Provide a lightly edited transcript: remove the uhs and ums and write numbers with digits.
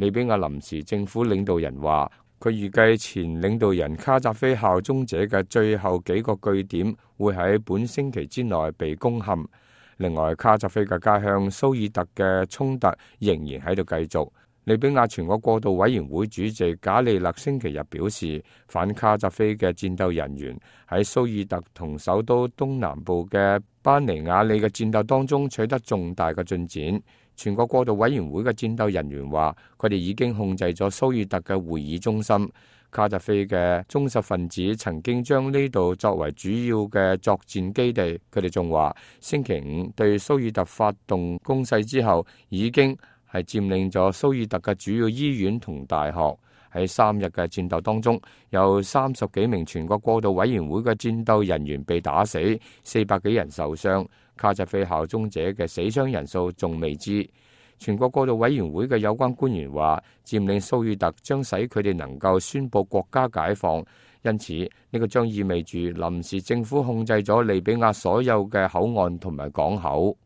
利比亞臨時政府領導人話，佢預計前領導人卡扎菲效忠者嘅最後幾個據點會喺本星期之內被攻陷。另外，卡扎菲嘅家鄉蘇爾特嘅衝突仍然喺度繼續。利比亞全國過渡委員會主席賈利勒星期日表示，反卡扎菲嘅戰鬥人員喺蘇爾特同首都東南部嘅班尼亞里嘅戰鬥當中取得重大嘅進展。全國過渡委員會嘅戰鬥人員話，佢哋已經控制咗蘇爾特嘅會議中心。卡扎菲嘅忠實分子曾經將呢度作為主要嘅作戰基地。佢哋仲話，星期五對蘇爾特發動攻勢之後，已經係佔領咗蘇爾特嘅主要醫院同大學。喺3日嘅戰鬥當中，有30幾名全國過渡委員會嘅戰鬥人員被打死，400幾人受傷。卡扎菲效忠者嘅死傷人數仲未知。全國過渡委員會嘅有關官員話，佔領蘇爾特將使佢哋能夠宣佈國家解放，因此呢個將意味住臨時政府控制咗利比亞所有嘅口岸同埋港口。